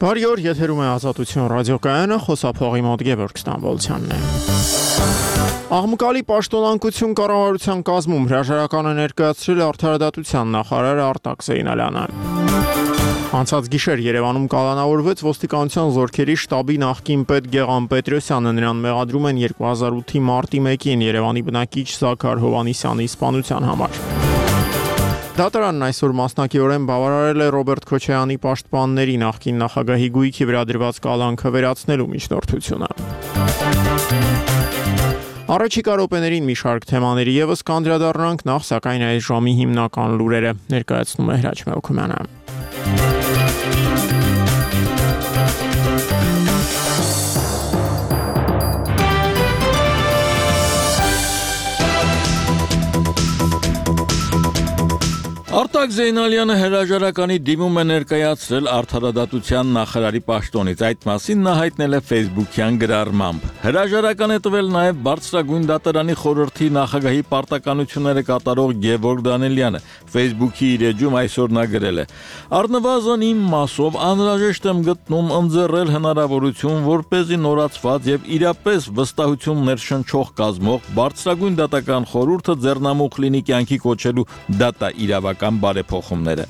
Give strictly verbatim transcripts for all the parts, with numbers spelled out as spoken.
Բարի օր, եթերում է Ազատություն ռադիոկայանը, խոսափողի մոտ Գևորգ Ստամբոլցյանն է։ Աղմկալի պաշտոնանկություն կառավարության կազմում հրաժարականը ներկայացրել արդարադատության նախարար Արտակ Զեյնալյանը։ Անցած գիշեր Երևանում կալանավորվեց ոստիկանության զորքերի շտաբի նախկին պետ Գեղամ Պետրոսյանը, նրան մեղադրում են երկու հազար ութի մարտի մեկին Երևանի բնակիչ Զաքար Հովհաննիսյանի սպանության համար։ Դատարանն այսօր մասնակիորեն բավարարել է Ռոբերտ Քոչարյանի պաշտպանների նախկին նախագահի գույքի վրա դրված կալանքը վերացնելու միջնորդությունը։ Առաջիկա րոպեներին մի շարք թեմաների ևս կանդրադառնանք, նախ սակայն այս ժամի հիմնական լուրերը ներկայացնում է Հրաչ Մելքումյանը։ Արտակ Զեյնալյանը հրաժարականի դիմում է ներկայացրել արդարադատության նախարարի պաշտոնից, այդ մասին նա հայտնել է Facebook-յան գրառմամբ։ Հրաժարական է տվել նաև Բարձրագույն դատարանի խորհրդի նախագահի պարտականությունները կատարող Գևորգ Դանիելյանը, Facebook-ի իր էջում այսօր նա գրել է. «Առնվազն իմ մասով անհրաժեշտ եմ գտնում ընձեռել հնարավորություն, որպեսզի նորացված եւ իրապես վստահություն ներշնչող կազմող Բարձրագույն դատական խորհուրդը ձեռնամուխ լինի կյանքի կոչելու դատա իրավական բարեփոխումները։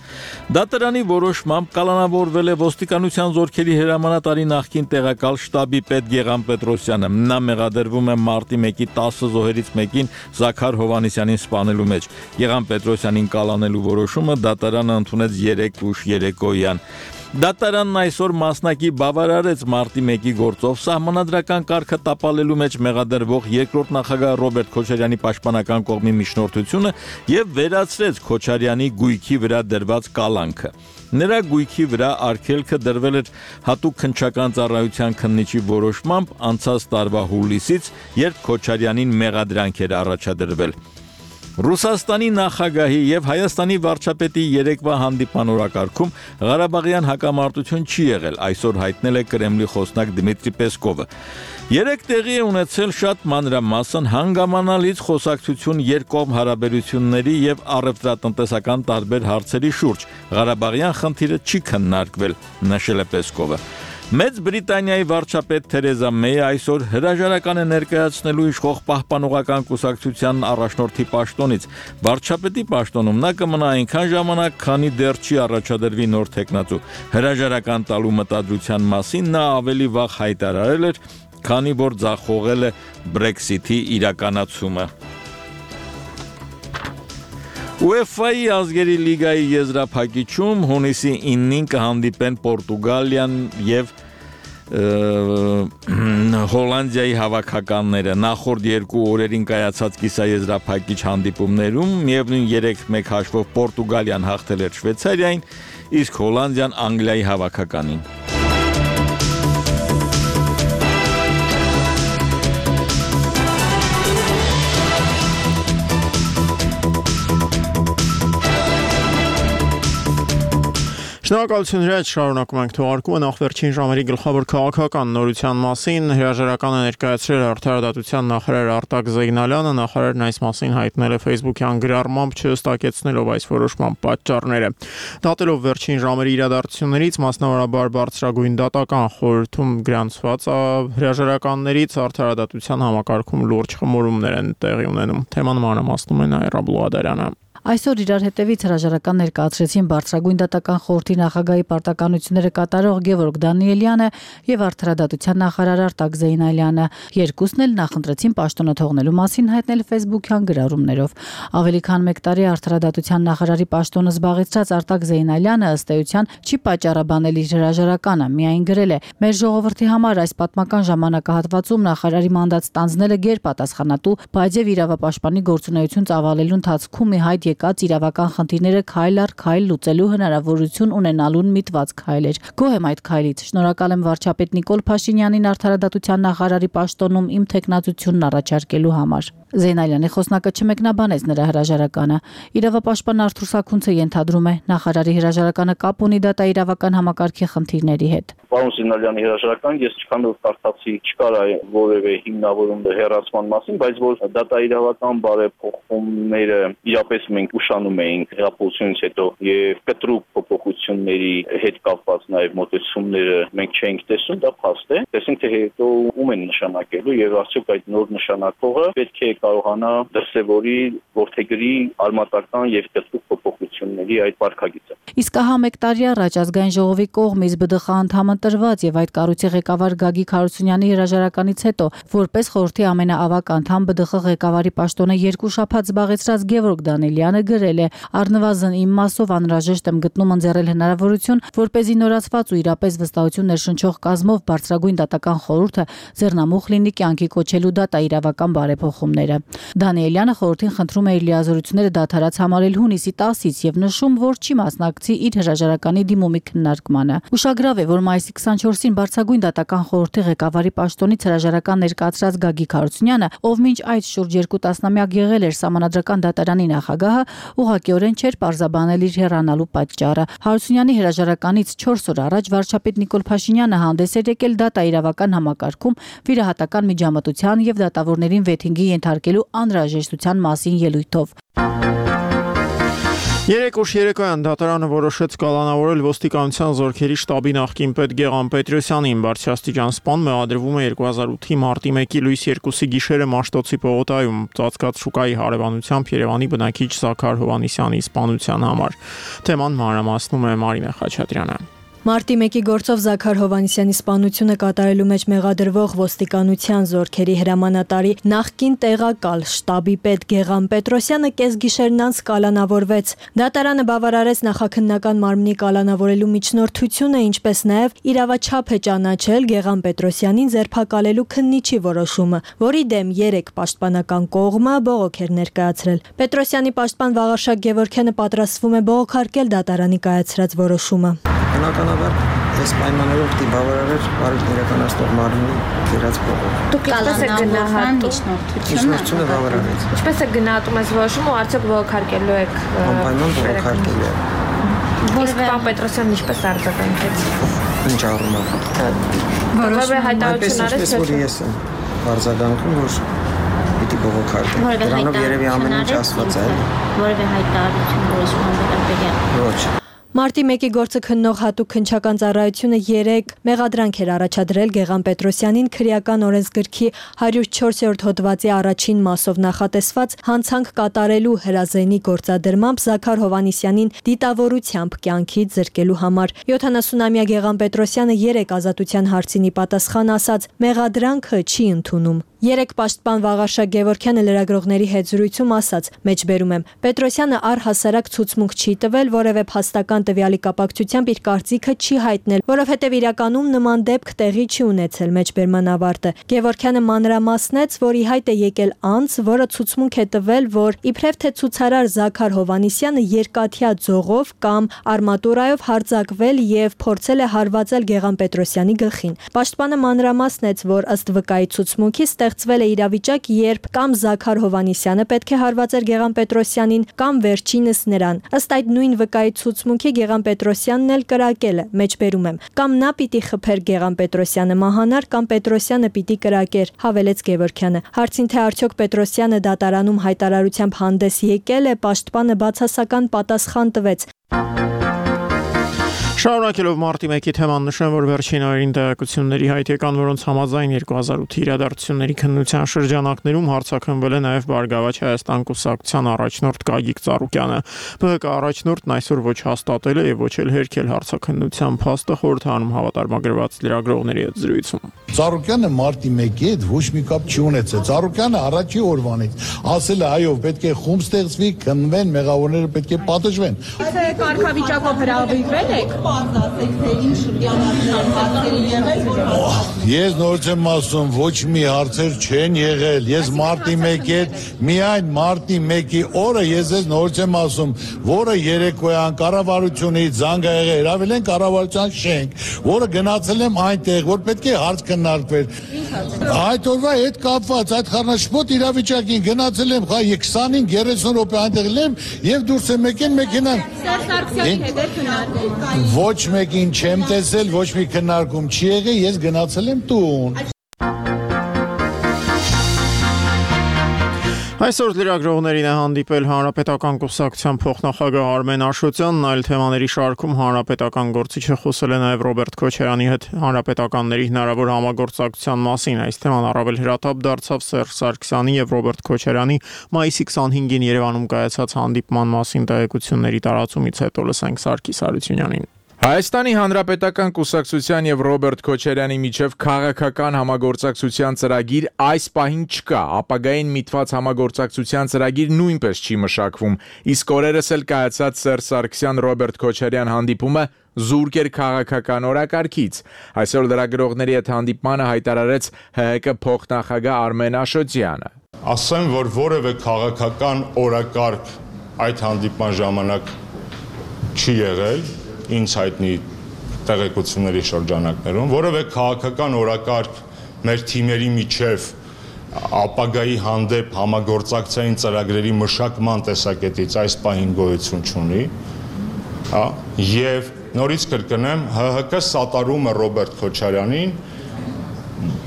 Դատարանի որոշմամբ կալանավորվել է ոստիկանության զորքերի հրամանատարի նախկին տեղակալ շտաբի պետ Գեղամ Պետրոսյանը։ Նա մեղադրվում է մարտի մեկի տասը զոհերից մեկին Զաքար Հովհաննիսյանին սպանելու մեջ։ Գեղամ Պետրոսյանին կալանելու որոշումը դատարանը ընդունեց երեկ ուշ երեկոյան։ Դատարանն այսօր մասնակի բավարարեց մարտի մեկի գործով սահմանադրական կարգը տապալելու մեջ մեղադրվող երկրորդ նախագահ Ռոբերտ Քոչարյանի պաշտպանական կողմի միջնորդությունը եւ վերացրեց Քոչարյանի գույքի վրա դրված կալանքը։ Նրա գույքի վրա արգելքը դրվել էր հատուկ քննչական ծառայության քննիչի որոշմամբ անցած տարվա հուլիսից, երբ Քոչարյանին մեղադրանք էր առաջադրվել։ Ռուսաստանի նախագահի եւ Հայաստանի վարչապետի երեկվա հանդիպան օրակարգում Ղարաբաղյան հակամարտություն չի եղել, այսօր հայտնել է Կրեմլի խոսնակ Դմիտրի Պեսկովը։ Երեք տեղի է ունեցել շատ մանրամասն հանգամանալից խոսակցություն երկկողմ հարաբերությունների եւ առևտրատնտեսական տարբեր հարցերի շուրջ։ Ղարաբաղյան խնդիրը չի քննարկվել, նշել է Պեսկովը։ Մեծ Բրիտանիայի վարչապետ Թերեզա Մեյը այսօր հրաժարական է ներկայացնելու իշխող պահպանողական կուսակցության առաջնորդի պաշտոնից։ Վարչապետի պաշտոնում նա կմնա այնքան ժամանակ, քանի դեռ չի առաջադրվի նոր թեկնածու։ Հրաժարական տալու մտադրության մասին նա ավելի վաղ հայտարարել էր, քանի որ ձախողել է Brexit-ի իրականացումը։ UEFA-ի ազգերի լիգայի եզրափակիչում հունիսի իննին կհանդիպեն Պորտուգալիան եւ Հոլանդիայի հավաքականները։ Նախորդ երկու օրերին կայացած կիսաեզրափակիչ հանդիպումներում միևնույն երեք մեկ հաշվով Պորտուգալիան հաղթել էր Շվեյցարիային, իսկ Հոլանդիան Անգլիայի հավաքականին։ Շնորհակալություն Հրաչ, շարունակում ենք թողարկումը նախ վերջին ժամերի գլխավոր քաղաքական նորության մասին հրաժարական է ներկայացրել արդարադատության նախարար Արտակ Զեյնալյանը, նախարարն այս մասին հայտնել է Facebook-յան գրառմամբ չհստակեցնելով այս որոշման պատճառները։ Դատելով վերջին ժամերի իրադարձություններից, մասնավորաբար Բարձրագույն դատական խորհրդում գրանցված հրաժարականներից արդարադատության համակարգում լուրջ խմորումներ են տեղի ունենում։ Թեման մանրամասնում է Նաիրա Բլուադարյանը։ Այսօր իրար հետևից հրաժարական ներկայացրեցին Բարձրագույն դատական խորհրդի նախագահի պարտականությունները կատարող Գևորգ Դանիելյանը եւ արդարադատության նախարար Արտակ Զեյնալյանը։ Երկուսն էլ նախընտրեցին պաշտոնը թողնելու մասին հայտնել Facebook-յան գրառումներով։ Ավելի քան մեկ տարի արդարադատության նախարարի պաշտոնը զբաղեցրած Արտակ Զեյնալյանը ըստ էության չի պատճառաբանել իր հրաժարականը, միայն գրել է. «Մեր ժողովրդի համար այս պատմական ժամանակահատվածում նախարարի մանդատ ստանձնելը գերպատասխանատու, բայց եւ իրավապաշտպանի գործունեություն ծավալելու ընթացքում մի հայտ եկած իրավական խնդիրները քայլ առ քայլ լուծելու հնարավորություն ունենալուն միտված քայլ էր։ Գոհ եմ այդ քայլից։ Շնորհակալ եմ վարչապետ Նիկոլ Փաշինյանին արդարադատության նախարարի պաշտոնում իմ թեկնածությունն առաջարկելու համար»։ Զեյնալյանի խոսնակը չմեկնաբանեց նրա հրաժարականը։ Իրավապաշտպան Արթուր Սաքունցը ենթադրում է, նախարարի հրաժարականը կապ ունի դատա-իրավական համակարգի խնդիրների հետ։ Պարոն Զեյնալյանի հրաժարական ես չքանով կարդացի, չկար որևէ հիմնավորում հեռացման մասին, բայց որ դատա-իրավական բարեփոխումները իրապես մենք ուշանում էինք հեղափոխությունից հետո եւ կտրուկ փոփոխությունների հետ կապված նաեւ մոտեցումները մենք չէինք տեսում, դա փաստ է։ Տեսինք թե հետո ում են նշանակելու եւ արդյոք այդ նոր նշանակողը պետք է կարողանա դրսեւորի ворթեգրի արմատական եւ կտրուկ փոփոխությունների այդ վարքագիծը։ Իսկ ահա մեկ տարի առաջ ազգային ժողովի կողմից ԲԴԽ անդամ ընտրված եւ այդ կառույցի ղեկավար Գագիկ Հարությունյանի հրաժարականից հետո որպես խորհրդի ամենաավակ անդամ ԲԴԽ ղեկավարի պաշտոնը երկու շաբաթ զբաղեցրած Գևորգ Դանիելյանը գրել է. «Առնվազն իմ մասով անհրաժեշտ եմ գտնում ընձեռել հնարավորություն, որպեսզի նորացված ու իրապես վստահություն ներշնչող կազմով բարձրագույն դատական խորհուրդը ձեռնամուխ լինի կյանքի կոչելու դատա իրավական բարեփոխումները»։ Դանիելյանը խորհրդին խնդրում է իր լիազորությունները դադարած համարել հունիսի տասից եւ նշում, որ չի մասնակցի իր հրաժարականի դիմումի քննարկմանը։ Ուշագրավ է, որ մայիսի քսանչորսին բարձրագույն դատական խորհրդի ղեկավարի պաշտոնից հրաժարական ներկայացրած Գագիկ Հարությունյանը, ով մինչ այդ շուրջ երկու տասնամյակ եղել էր Սահմանադրական դատարանի նախագահը, ուղղակիորեն չէր պարզաբանել իր հեռանալու պատճառը։ Հարությունյանի հրաժարականից չորս օր առաջ վարչապետ Նիկոլ Փաշինյանը հանդես էր եկել դատա իրավական համակարգում վիրահատական միջամտության եւ դատավորներին վեթինգի ենթարկելու անհրաժեշտության մասին ելույթով։ Երեք ուշ երեկոյան դատարանը որոշեց կալանավորել ոստիկանության զորքերի շտաբի նախկին պետ Գեղամ Պետրոսյանին։ Բարձրաստիճան սպան մեղադրվում է երկու հազար ութի մարտի մեկի լույս երկուսի գիշերը Մաշտոցի պողոտայում ծածկած շուկայի հարևանությամբ Երևանի բնակիչ Զաքար Հովհաննիսյանի սպանության համար։ Թեման մանրամասնում է Մարինե Խաչատրյանը։ Մարտի մեկի գործով Զաքար Հովհաննիսյանի սպանությունը կատարելու մեջ մեղադրվող ոստիկանության զորքերի հրամանատարի նախկին տեղակալ շտաբի պետ Գեղամ Պետրոսյանը կեսգիշերն անց կալանավորվեց։ Դատարանը բավարարեց նախաքննական մարմնի կալանավորելու միջնորդությունը, ինչպես նաև իրավաչափ է ճանաչել Գեղամ Պետրոսյանին ձերբակալելու քննիչի որոշումը, որի դեմ երեք պաշտպանական կողմը բողոք էր ներկայացրել։ Պետրոսյանի պաշտպան Վաղարշակ Գևորգյանը պատրաստվում է բողոքարկել դատարանի կայացրած որոշումը։ Բնականաբար այս պայմաններով դի բավարարեր բարիք իրականացնող մարմնի դերած բողոք։ Դուք ինչպես եք գնահատում միջնորդությունը բավարարեց։ Ինչպես եք գնահատում այս որոշումը ու արդյոք բողոքարկելու եք։ Անպայման բողոքարկելու է։ Իսկ պարոն Պետրոսյանն ինչպես արձագանքեց։ Ինչ առումով։ Որովհետև հայտարարություն արեց, որ ես եմ արձագանքում, որ պիտի բողոքարկեմ։ Դրանով երևի ամեն ինչ ասված է։ Որևէ հայտարարություն որոշման վերաբերյալ։ Ոչ։ Մարտի մեկի գործը քննող հատուկ քննչական ծառայությունը երեք մեղադրանք էր առաջադրել Գեղամ Պետրոսյանին քրեական օրենսգրքի հարյուր չորսերորդ հոդվածի առաջին մասով նախատեսված հանցանք կատարելու հրազենի գործադրմամբ Զաքար Հովհաննիսյանին դիտավորությամբ կյանքից զրկելու համար։ յոթանասունամյա Գեղամ Պետրոսյանը երեք ազատության հարցինի պատասխան ասաց՝ մեղադրանքը չի ընդունում։ Երեք պաշտպան Վաղարշակ Գևորգյանը լրագրողների հետ զրույցում ասաց. «Մեջբերում եմ, Պետրոսյանը առհասարակ ցուցմունք չի տվել, որևէ փաստական տվյալի կապակցությամբ իր կարծիքը չի հայտնել, որովհետև իրականում նման դեպք տեղի չի ունեցել»։ Մեջբերման ավարտը Գևորգյանը մանրամասնեց, որ ի հայտ է եկել անձ, որը ցուցմունք է տվել, որ իբրև թե ցուցարար Զաքար Հովհաննիսյանը երկաթյա ձողով կամ արմատուրայով հարձակվել եւ փորձել է հարվածել Գեղամ Պետրոսյանի գլխին։ Պաշտպանը մանրամասնեց, որ ըստ վկայի ցուցմունքի ստեղծվել է իրավիճակ, երբ կամ Զաքար Հովհաննիսյանը պետք է հարվածեր Գեղամ Պետրոսյանին, կամ վերջինս նրան։ Ըստ այդ նույն վկայի ցուցմունքի Գեղամ Պետրոսյանն էլ կրակել է։ Մեջբերում եմ, կամ նա պիտի խփեր Գեղամ Պետրոսյանը մահանար, կամ Պետրոսյանը պիտի կրակեր, հավելեց Գևորգյանը։ Հարցին թե արդյոք Պետրոսյանը դատարանում հայտարարությամբ հանդես եկել է, պաշտպանը բացասական պատասխան տվեց։ Շարունակելով մարտի մեկի թեման նշեմ, որ վերջին օրերին տեղեկությունների հայտ եկան, որոնց համաձայն երկու հազար ութի իրադարձությունների քննության շրջանակներում հարցաքննվել է նաև Բարգավաճ Հայաստան կուսակցության առաջնորդ Գագիկ Ծառուկյանը։ ԲՀԿ առաջնորդն այսօր ոչ հաստատել է եւ ոչ էլ հերքել հարցաքննության փաստը խորհրդանում հավատարմագրված լրագրողների հետ զրույցում։ Ծառուկյանը մարտի մեկի հետ ոչ մի կապ չի ունեցել։ Ծառուկյանը առաջի օրվանից ասել է, այո, պետք է խումբ ստեղծվի, քննվեն, մեղավորները պետք է պատժվեն։ Թե կարգավիճակով հրավիրվել եք։ Ես նորից եմ ասում, ոչ մի հարցեր չեն եղել։ Ես մարտի մեկի հետ, միայն մարտի մեկի օրը ես ես նորից եմ ասում, որը երեկոյան կառավարությունից զանգ ա եղել, հրավիրել են կառավարության շենք, որը գնացել եմ այնտեղ, որ պետք է հարց քննարկվեր։ Այդ օրվա հետ կապված այդ խառնաշփոթ իրավիճակին գնացել եմ, խա քսանհինգ երեսուն րոպե այնտեղ եմ եւ դուրս եմ եկել մեքենան։ Ոչ մեկին չեմ տեսել, ոչ մի քննարկում չի եղել, ես գնացել եմ տուն։ Այսօր լրագրողներին է հանդիպել Հանրապետական կուսակցության փոխնախագահ Արմեն Աշոտյանն, այլ թեմաների շարքում հանրապետական գործիչը խոսել է նաև Ռոբերտ Քոչարյանի հետ հանրապետականների հնարավոր համագործակցության մասին։ Այս թեման առավել հրատապ դարձավ Սերժ Սարգսյանի եւ Ռոբերտ Քոչարյանի մայիսի քսանհինգին Երևանում կայացած հանդիպման մասին տեղեկությունների տարածումից հետո լսենք Սարգիս Հարությունյանին։ Հայաստանի Հանրապետական կուսակցության եւ Ռոբերտ Քոչարյանի միջև քաղաքական համագործակցության ծրագիր այս պահին չկա, ապագային միտված համագործակցության ծրագիր նույնպես չի մշակվում, իսկ օրերս էլ կայացած Սերժ Սարգսյան-Ռոբերտ Քոչարյան հանդիպումը զուրկ էր քաղաքական օրակարգից։ Այսօր լրագրողների հետ հանդիպմանը հայտարարեց Հ Հ Կ փոխնախագահ Արմեն Աշոտյանը։ Ասեմ, որ որևէ քաղաքական օրակարգ այդ հանդիպման ժամանակ չի եղել ինձ հայտնի տեղեկությունների շրջանակներում, որևէ քաղաքական օրակարգ մեր թիմերի միջև ապագայի հանդեպ համագործակցային ծրագրերի մշակման տեսակետից այս պահին գոյություն չունի, հա, եւ նորից կրկնեմ, Հ Հ Կ սատարում է Ռոբերտ Քոչարյանին,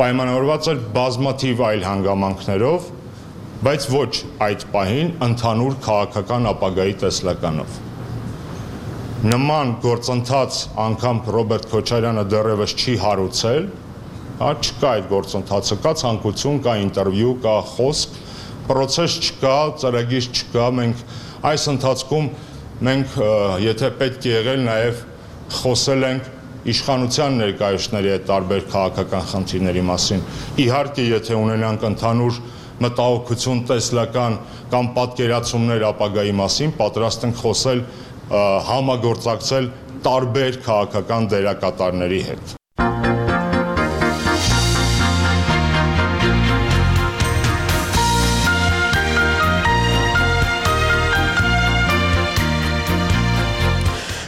պայմանավորված էր բազմաթիվ այլ հանգամանքներով, բայց ոչ այդ պահին ընդհանուր քաղաքական ապագայի տեսլականով։ Նման գործընթաց անգամ Ռոբերտ Քոչարյանը դեռևս չի հարուցել, հա, չկա այդ գործընթացը, կա ցանկություն, կա ինտերվյու, կա խոսք, պրոցես չկա, ծրագիր չկա, մենք այս ընթացքում մենք եթե պետք է եղել նաև խոսել ենք իշխանության ներկայացուցիչների հետ տարբեր քաղաքական խնդիրների մասին։ Իհարկե, եթե ունենանք ընդհանուր մտահոգություն տեսլական կամ պատկերացումներ ապագայի մասին, պատրաստ ենք խոսել համագործակցել տարբեր քաղաքական դերակատարների հետ։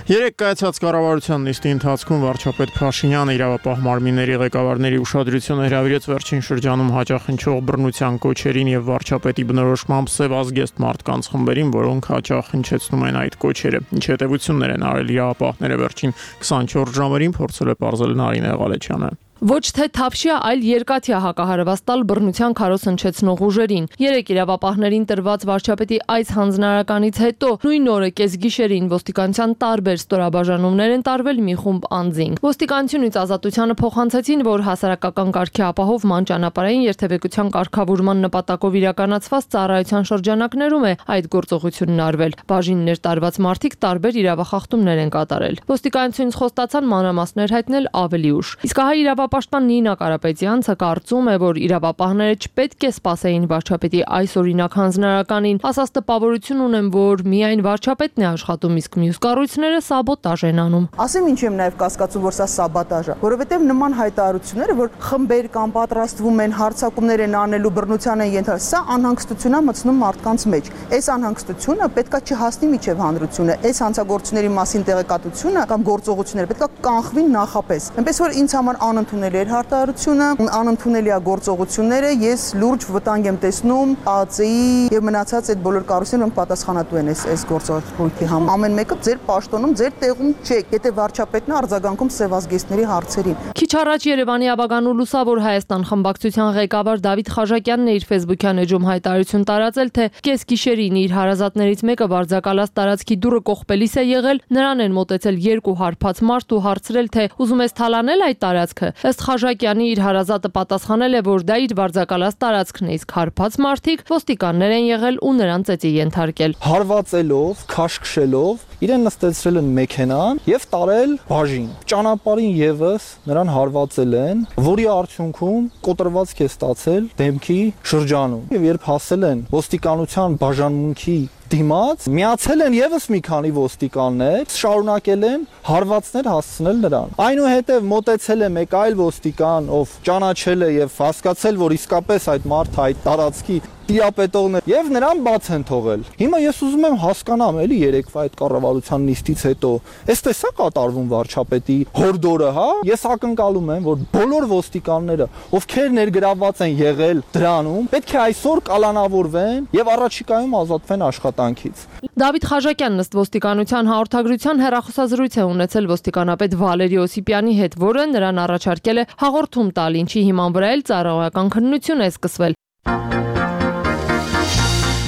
Երեք կայացած կառավարության նիստի ընթացքում վարչապետ Փաշինյանը իրավապահ մարմինների ղեկավարների ուշադրությունը հրավիրեց վերջին շրջանում հաճախնչող բռնության կոչերին եւ վարչապետի բնորոշմամբ սև ազգեստ մարդկանց խմբերին, որոնք հաճախ հնչեցնում են այդ կոչերը։ Ինչ հետևություններ են արել իրավապահները վերջին քսանչորս ժամերին, փորձել է պարզել Նարինե Ղալեչյանը։ Ոչ թե թափշյա, այլ երկաթյա հակահարված տալ բռնության քարոզ հնչեցնող ուժերին։ Երեք իրավապահներին տրված վարչապետի այս հանձնարարականից հետո նույն օրը կեսգիշերին ոստիկանության տարբեր ստորաբաժանումներ են տարվել մի խումբ անձինք։ Ոստիկանությունից ազատությանը փոխանցեցին, որ հասարակական կարգի ապահովման ճանապարհային երթևեկության կարգավորման նպատակով իրականացված ծառայության շրջանակներում է այդ գործողությունն արվել։ Բաժիններ տարված մարդիկ տարբեր իրավախախտումներ են կատարել։ Ոստիկանությունից խոստացան մանրամասներ հայտնել ավելի ուշ։ Իսկ հայ Պաշտպան Նինա Կարապետյանցը կարծում է, որ իրավապահները չպետք է սպասեին վարչապետի այս օրինակ հանձնարարականին, ասած տպավորություն ունեմ, որ միայն վարչապետն է աշխատում, իսկ մյուս կառույցները սաբոտաժ են անում։ Ասեմ ինչ եմ նաև կասկածում, որ սա սաբոտաժ է, որովհետև նման հայտարարությունները, որ խմբեր կամ պատրաստվում են, հարձակումներ են անելու, բռնության են ենթարկվում, սա անհանգստություն է մտցնում մարդկանց մեջ։ Այս անհանգստությունը պետքա չհասնի միջև հանրությունը, այս հանցագործությունների մասին տեղեկատվությունը կամ գործողությունները պետքա կանխվին նախապես։ Այնպես որ ինձ համար անընդունելի էր հարտահայտությունը, անընդունելի է գործողությունները, ես լուրջ վտանգ եմ տեսնում Ա Ծ Ի եւ մնացած այդ բոլոր կառույցները, որոնք պատասխանատու են այս այս գործողությունների համար։ Ամեն մեկը ձեր պաշտոնում, ձեր տեղում չեք, եթե վարչապետն է արձագանքում սևազգեստների հարցերին։ Քիչ առաջ Երևանի Աբագան ու Լուսավոր Հայաստան խմբակցության ղեկավար Դավիթ Խաժակյանն իր Facebook-յան էջում հայտարարություն տարածել, թե կեսգիշերին իր հարազատներից մեկը վարձակալած տարածքի դուռը կողպելիս է եղել, նրան են մոտեցել երկու հարբած մարդ ու հարցրել, թե ուզում ես թալանել այդ տարածքը։ Ըստ Խաժակյանի իր հարազատը պատասխանել է, որ դա իր վարձակալած տարածքն է, իսկ հարբած մարդիկ ոստիկաններ են եղել ու նրան ծեծի ենթարկել։ Հարվածելով, քաշքշելով իրեն նստեցրել են մեքենան եւ տարել բաժին։ Ճանապարհին եւս նրան հարվածել են, որի արդյունքում կոտրվածք է ստացել դեմքի շրջանում։ Եվ երբ հասել են ոստիկանության բաժանմունքի դիմաց, միացել են եւս մի քանի ոստիկաններ, շարունակել են հարվածներ հասցնել նրան։ Այնուհետև մոտեցել է մեկ այլ ոստիկան, ով ճանաչել է եւ հասկացել, որ իսկապես այդ մարդը այդ տարածքի տիրապետողն է եւ նրան բաց են թողել։ Հիմա ես ուզում եմ հասկանամ էլի երեկվա այդ կառավարության նիստից հետո, էստես է կատարվում վարչապետի հորդորը, հա? Ես ակնկալում եմ, որ բոլոր ոստիկանները, ովքեր ներգրավված են եղել դրանում, պետք է այսօր կալանավորվեն եւ առաջիկայում ազատվեն աշխատանքից։ Դավիթ Խաժակյանն ըստ ոստիկանության հաղորդագրության հեռախոսազրույց է ունեցել ոստիկանապետ Վալերի Օսիպյանի հետ, որը նրան առաջարկել է հաղորդում տալ, ինչի հիման վրա էլ ծառայական քննություն է սկսվել։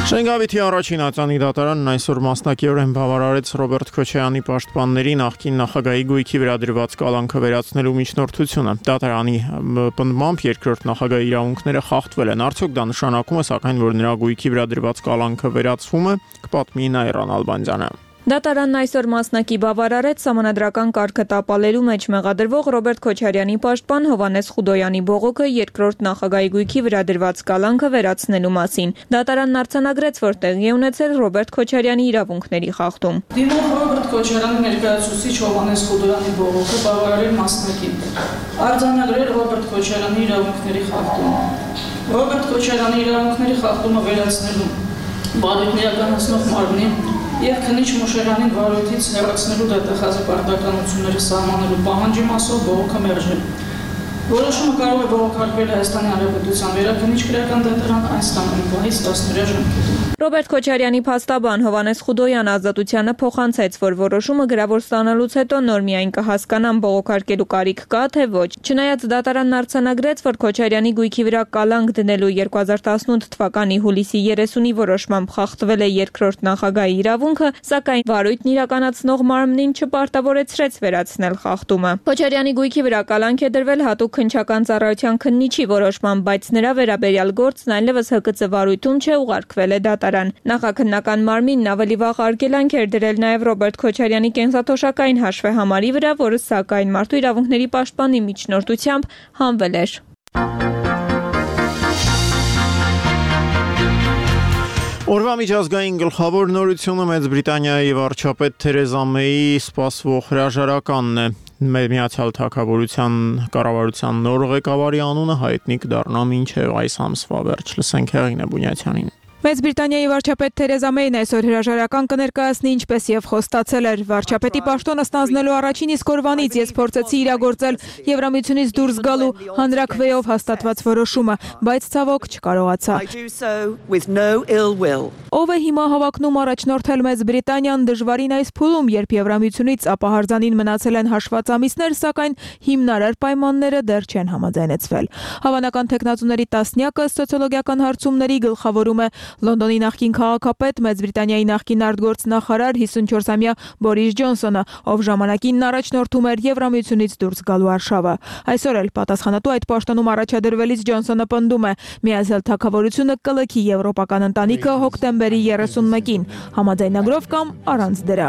Շենգավիթի առաջին ատյանի դատարանն այսօր մասնակիորեն բավարարեց Ռոբերտ Քոչարյանի պաշտպանների նախկին նախագահի գույքի վրա դրված կալանքը վերացնելու միջնորդությունը։ Դատարանի պնդմամբ երկրորդ նախագահի իրավունքները խախտվել են։ Արդյոք դա նշանակում է, սակայն, որ նրա գույքի վրա դրված կալանքը վերացվում է, կպատմի Նաիրան Ալբանդյանը։ Դատարանն այսօր մասնակի բավարարեց սահմանադրական կարգը տապալելու մեջ մեղադրվող Ռոբերտ Քոչարյանի պաշտպան Հովհաննես Խուդոյանի բողոքը երկրորդ նախագահի գույքի վրա դրված կալանքը վերացնելու մասին։ Դատարանն արձանագրեց, որ տեղի է ունեցել Ռոբերտ Քոչարյանի իրավունքների խախտում։ Դիմող Ռոբերտ Քոչարյանի ներկայացուցիչ Հովհաննես Խուդոյանի բողոքը բավարարել մասնակին։ Արձանագրել Ռոբերտ Քոչարյանի իրավունքների խախտում։ Ռոբերտ Քոչարյանի իրավունքների խախտումը վերացնելու բարույթն իրականացնող մարմնի և քննիչ Մոշերյանին վարույթից հեռացնելու դատախազի պարտականությունները սահմանելու պահանջի մասով բողոքը մերժել։ Որոշումը կարող է բողոքարկվել Հայաստանի Հանրապետության վերաքննիչ քրեական դատարան այն ստանալու պահից տասնօրյա ժամկետում։ Ռոբերտ Քոչարյանի փաստաբան Հովհաննես Խուդոյան ազատությանը փոխանցեց, որ որոշումը գրավոր ստանալուց հետո նոր միայն կհասկանան բողոքարկելու կարիք կա, թե ոչ։ Չնայած դատարանն արձանագրեց, որ Քոչարյանի գույքի վրա կալանք դնելու երկու հազար տասնութ թվականի հուլիսի երեսունի որոշմամբ խախտվել է երկրորդ նախագահի իրավունքը, սակայն վարույթն իրականացնող մարմնին չպարտավորեցրեց վերացնել խախտումը։ Քոչարյանի գույքի վրա կալանք է դրվել հատուկ քննչական ծառայության քննիչի որոշմամբ, բայց նրա վերաբերյալ գործն այլևս Հ Կ Ծ վարույթում չէ, ուղարկվել է դատարան։ Նախաքննական մարմինն ավելի վաղ արգելանք էր դրել նաև Ռոբերտ Քոչարյանի կենսաթոշակային հաշվեհամարի վրա, որը սակայն Մարդու իրավունքների պաշտպանի միջնորդությամբ հանվել էր։ Օրվա միջազգային գլխավոր նորությունը Մեծ Բրիտանիայի վարչապետ Թերեզա Մեյի սպասվող հրաժարականն է։ Միացյալ Թագավորության կառավարության նոր ղեկավարի անունը հայտնի կդառնա մինչև այս ամսվա վերջ։ Լսենք Հեղինե Բունյացյանին։ Մեծ Բրիտանիայի վարչապետ Թերեզա Մեյն այսօր հրաժարական կներկայացնի, ինչպես եւ խոստացել էր։ Վարչապետի պաշտոնը ստանձնելու առաջին իսկ օրվանից ես փորձեցի իրագործել Եվրամիությունից դուրս գալու հանրաքվեով հաստատված որոշումը, բայց ցավոք չկարողացա։ Ով է հիմա հավակնում առաջնորդել Մեծ Բրիտանիան դժվարին այս փուլում, երբ Եվրամիությունից ապահարզանին մնացել են հաշված ամիսներ, սակայն հիմնարար պայմանները դեռ չեն համաձայնեցվել։ Հավանական տեխնացուների տասնյակը սոցիոլոգիական հարցումների գլխավորում է Լոնդոնի նախկին քաղաքապետ, Մեծ Բրիտանիայի նախկին արտգործնախարար հիսունչորսամյա Բորիս Ջոնսոնը, ով ժամանակին առաջնորդում էր Եվրամիությունից դուրս գալու արշավը։ Այսօր էլ պատասխանատու այդ պաշտոնում առաջադրվելիս Ջոնսոնը պնդում է՝ Միացյալ Թագավորությունը կլքի եվրոպական ընտանիքը հոկտեմբերի երեսունմեկին, համաձայնագրով կամ առանց դրա։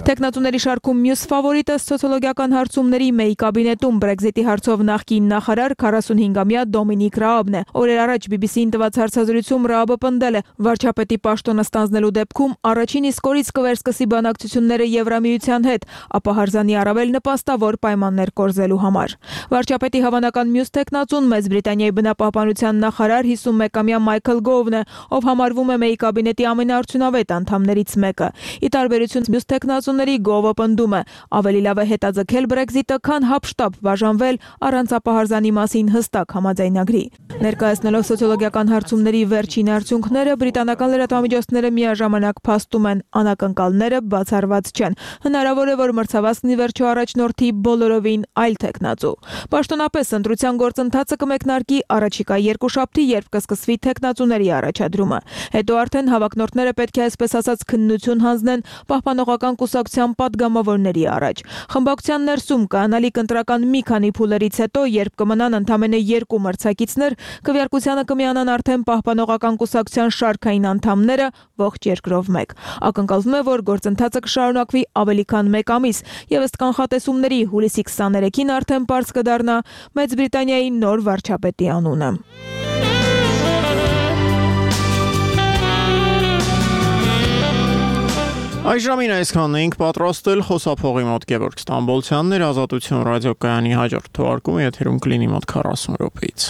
Տեխնատուների շարքում մյուս ֆավորիտը սոցիոլոգիական հարցումների Մեյ կաբինետում Բրեքզիտի հարցով նախկին նախարար քառասունհինգամյա Դոմինիկ Ռաաբն է։ Օրեր առաջ բի բի սիին տված հարցազրույցում Ռաաբը պնդել է՝ վարչապետի պաշտոնը ստանձնելու դեպքում առաջին իսկ օրից կվերսկսի բանակցությունները Եվրամիության հետ, ապահարզանի առավել նպաստավոր պայմաններ կորզելու համար։ Վարչապետի հավանական մյուս տեխնացուն Մեծ Բրիտանիայի բնապահպանության նախարար հիսունմեկամյա Մայքլ Գովն է, ով համարվում է Մեյ կաբինետի ամենաարդյունավետ անդամներից մեկը։ Ի տարբերություն մյուս տեխնացուների Գովը պնդում է՝ ավելի լավ է հետաձգել Բրեքզիտը, քան հապշտապ բաժանվել առանց ապահարզանի մասին հստակ համաձայնագրի։ Ներկայացնելով սոցիոլոգիական հարցումների վերջին արդյունքները, բրիտանական լրատվամիջոցները միաժամանակ փաստում են՝ անակնկալները բացառված չեն։ Հնարավոր է, որ մրցավազքն ի վերջո առաջնորդի բոլորովին այլ տեխնացու։ Պաշտոնապես ընտրության գործընթացը կմեկնարկի առաջիկա երկուշաբթի, երբ կսկսվի տեխնացուների առաջադրումը։ Հետո արդեն հավակնորդները պետք է այսպես ասած քննություն հանձնեն պահպանողական կուսակցության падգամավորների առաջ։ Խմբակցության ներսում կանալիք ընտրական մի քանի փուլերից հետո, երբ կմնան ընդամենը երկու մրցակիցներ, քվեարկությանը կմիանան արդեն պահպանողական կուսակցության շարքային անդամները ողջ երկրով մեկ։ Ակնկալվում է, որ գործընթացը կշարունակվի ավելի քան մեկ ամիս, եւ ըստ կանխատեսումների հուլիսի քսաներեքին արդեն բաց կդառնա Մեծ Բրիտանիայի նոր վարչապետի անունը։ Այժմին այսքանն էինք պատրաստել, խոսափողի մոտ Գևորգ Ստամբոլցյանն էր, Ազատություն ռադիոկայանի հաջորդ թողարկումը եթերում կլինի մոտ քառասուն րոպեից։